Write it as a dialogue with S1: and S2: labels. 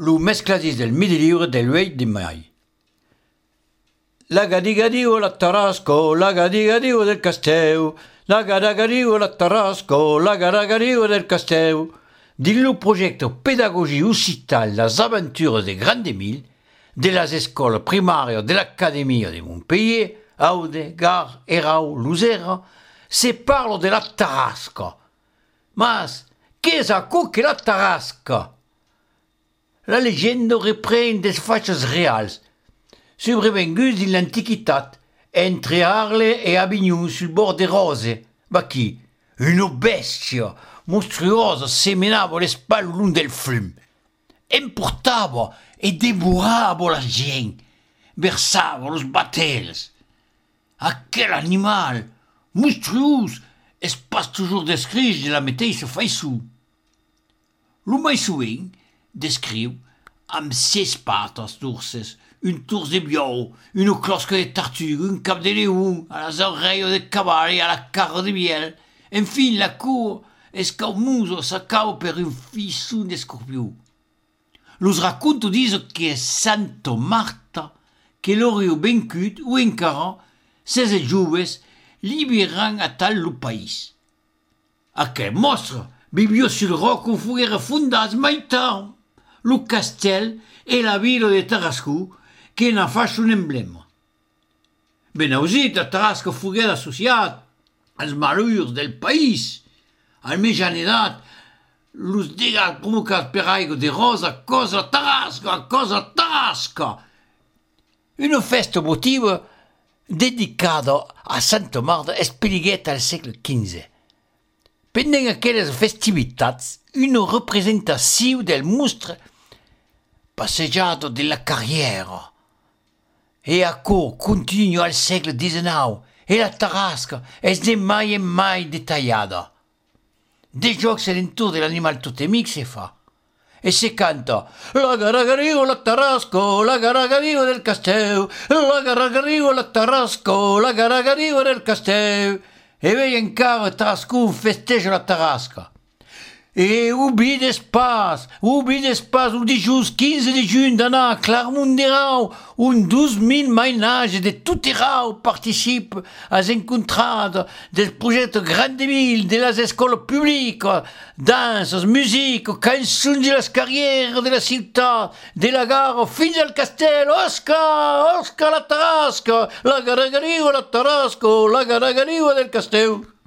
S1: lo mescladis del midi libre del 8 de mai. La gadigadigo la Tarasco, la gadigadigo del Casteu, la gadigadigo la Tarasco, la gadigadigo del Casteu. Dillo progetto Pédagogie Occitale las aventures des Grandes Milles, de las escoles primarias de l'Académie de Montpellier, Aude, Gare, Erau, Luzera, se parlo de la Tarasca. Mas, qu'est que la Tarasca? La légende reprend des faits réels, sobrevenus de l'Antiquitat, entre Arles et Avignon sul bord des Rose. Ma qui? Une bestia monstruosa seminava le spalle l'un del flum. Emportava e devorava la gent, versava los batels. Aquel animal, monstruós, es pas toujours descrit de la mateixa façon. Lo mai sovint descriu amb 6 patas d'urses, un tors de biau, une closca de tartue, un cap de leon, a las oreilles de cavall et à la carre de miel. Enfin, la cour escaumosa s'acaba per un fisson d'escorpió. Los racconto disent que es Santa Marta que l'aurait vencut ou encara 16 joves liberant a tal lo país. Aquel monstre vivió sul roc on foguera fondats mai tard lo castel e la vila de Tarascó que n'ha faig un emblema. Ben ausit, a Tarasca foguera associat als malheurs del país, al mejanedat, los dégâts provocats per aigua de rosa a causa de Tarasca. Una festa votiva dedicada a Santa Marta es peligueta al segle XV. Pendant aquelles festivitats, una representació del monstre passejado de la carriera. E ancora continua al segle XIX e la Tarasca es de mai en mai detallada. Des jocs a l'entour de l'animal totemic se fa. E se canta la garagarigo la Tarasco, la garagarigo del Casteu, la garagarigo la Tarasco, la garagarigo del Casteu. E vei encara Tarascon festeja la Tarasca. E oubi d'espaç, un dijous 15 de juny d'anar a Clermont-Ferrand, un 12.000 mainatges de tot Erau participent als encontrades del projecte Grandes Milles, de les escoles publiques, danses, musiques, cançons de les carrières de la ciutat, de la gare fins al castell. Oscar, la Tarasca, la garagariu, la Tarasco, la garagariu del Casteu.